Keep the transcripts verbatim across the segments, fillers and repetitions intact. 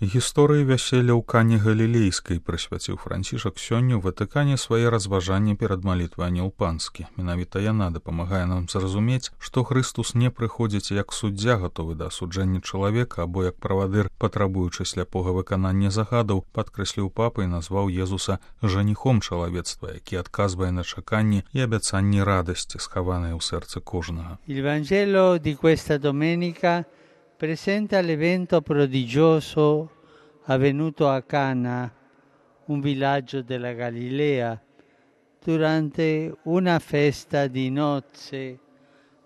Гісторыі вяселля ў Кані Галілейскай прысвяціў Францішак сёння ў Ватыкане свае разважанні перад малітвай Анёл Панскі. Менавіта яна дапамагае нам зразумець, што Хрыстус не прыходзіць як суддзя, гатовы да асуджэння чалавека, або як правадыр, патрабуючы сляпога выканання загадаў, падкрэсліў папа і назваў Езуса жаніхом чалавецтва, які адказвае на чаканні і абяцанні радасці, схаваныя ў сэрцы кожнага. Il Vangelo di questa domenica presenta l'evento prodigioso avvenuto a Cana, un villaggio della Galilea, durante una festa di nozze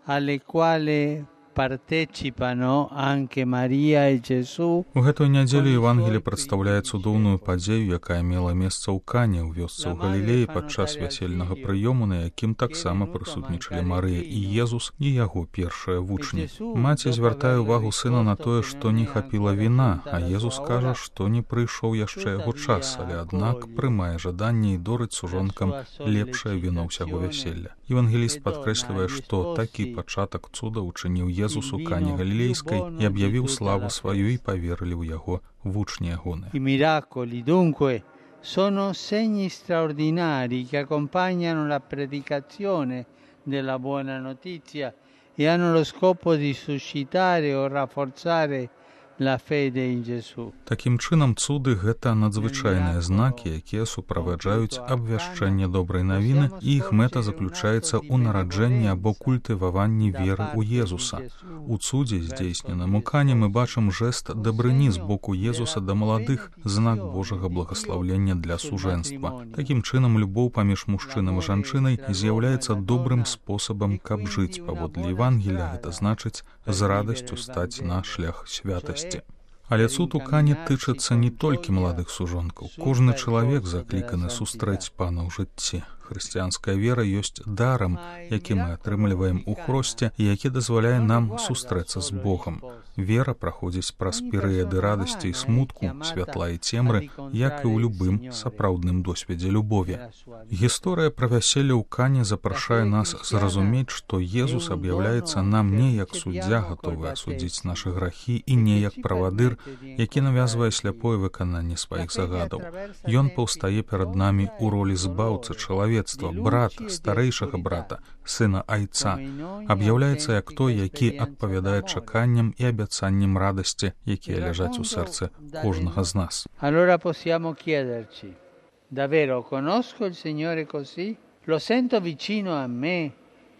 alle quali partecipano anche Maria e Gesù. У гэтую нядзелю Евангелие прадстаўляе цудоўную падзею, якая мела месца ў Кане, ў вёсцы ў Галілеі падчас вясельнага прыёму, на якім таксама прысутнічалі Марыя і Езус і яго першыя вучні. Маці звяртае ўвагу сына на тое, што не хапіла віна, а Езус кажа, што не прыйшоў яшчэ яго час, але аднак прымае жаданне і дорыць сужонкам лепшае віно ўсяго вяселля. Евангеліст падкрэслівае, што такі пачатак цуда ўчыніў Езус у Кане Галілейскай і аб'явіў славу сваю і паверылі ў яго вучні ягоны. I miracoli, dunque, sono segni straordinari che accompagnano la predicazione della buona notizia e hanno lo scopo di suscitare o rafforzare la fede in Gesù. Такім чынам, цуды — гэта надзвычайныя знакі, якія суправаджаюць абвяшчэнне добрай навіны, і іх мэта заключаецца ў нараджэнні або культываванні веры ў Езуса. У цудзе, здзейсненым у Кане, мы бачым жэст дабрыні з боку Езуса да маладых, знак Божага благаслаўлення для сужэнства. Такім чынам, любоў паміж мужчынам і жанчынай з'яўляецца добрым спосабам, каб жыць паводле Евангелія, гэта значыць з радасцю стаць на шлях святасці. Але цуд у Кане тычыцца не толькі маладых сужонкаў. Кожны чалавек закліканы сустрэць Пана ў жыцці. Хрысціянская вера ёсць дарам, які мы атрымліваем у хросце і які дазваляе нам сустрэцца з Богам. Вера праходзіць праз перыяды радасці і смутку, святла і цемры, як і ў любым сапраўдным досведзе любові. Гісторыя пра вяселле ў Кане запрашае нас зразумець, што Езус аб'яўляецца нам не як суддзя, гатовы асудзіць нашы грахі, і не як правадыр, які навязвае сляпое выкананне сваіх загадаў. Ён паўстае перад намі ў ролі збаўцы чалавецтва, брата, старэйшага брата, сына айца, аб'яўляецца як той, які адпавядае чаканням і абяцанням радасці, якія ляжаць у сэрцы кожнага з нас. Allora possiamo chiederci: davvero conosco il Signore così? Lo sento vicino a me,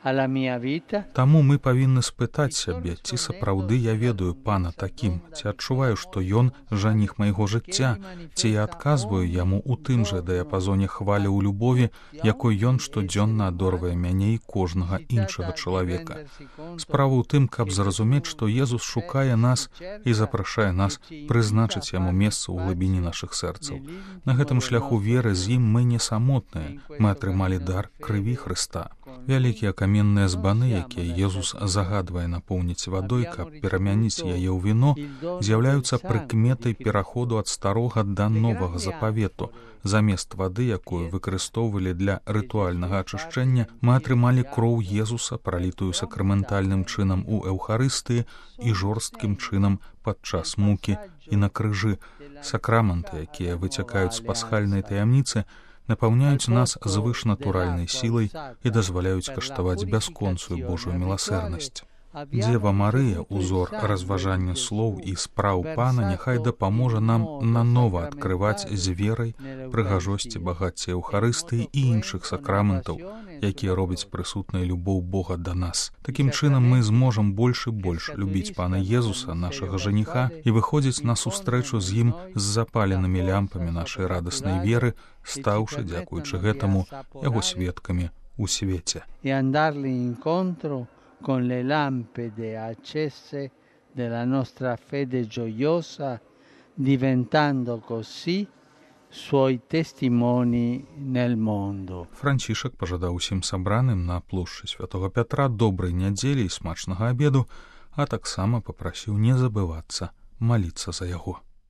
alla mia vita? Таму мы павінны спытаць сябе, ці сапраўды я ведаю Пана такім, ці адчуваю, што Ён жаніх майго жыцця, ці я адказваю Яму ў тым жа дыяпазоне хвалі ў любові, якой Ён штодзённа адорвае мяне і кожнага іншага чалавека. Справа ў тым, каб зразумець, што Езус шукае нас і запрашае нас прызначыць Яму месца ў глыбіні нашых сэрцаў. На гэтым шляху веры з ім мы не самотныя, мы атрымалі дар крыві Хрыста. Вялікія каменныя збаны, якія Езус загадвае напоўніць вадой, каб перамяніць яе ў віно, з'яўляюцца прыкметай пераходу ад старога да новага запавету. Замест вады, якую выкарыстоўвалі для рытуальнага ачышчэння, мы атрымалі кроў Езуса, пралітую сакраментальным чынам у Эўхарыстыі і жорсткім чынам падчас мукі і на крыжы. Сакраменты, якія выцякаюць з пасхальнай таямніцы, напаўняюць нас звышнатуральнай сілай і дазваляюць каштаваць бясконцую Божую міласэрнасць. Дзева Марыя, узор разважання слоў і спраў Пана, няхай дапаможа нам нанова адкрываць з верай прыгажосці багацця Эўхарыстыі і іншых сакраментаў, якія робяць прысутнай любоў Бога да нас. Такім чынам мы зможам больш і больш любіць Пана Езуса, нашага жаніха, і выходзіць на сустрэчу з ім з запаленымі лямпамі нашай радаснай веры, стаўшы, дзякуючы гэтаму, яго сведкамі у свеце. E andarli incontro con le lampade accese della nostra fede gioiosa, diventando così suoi testimoni nel mondo. Францішак пажадаў усім сабраным на плошчы Святога Пятра добрай нядзелі і смачнага абеду, а таксама папрасіў не забывацца маліцца за яго.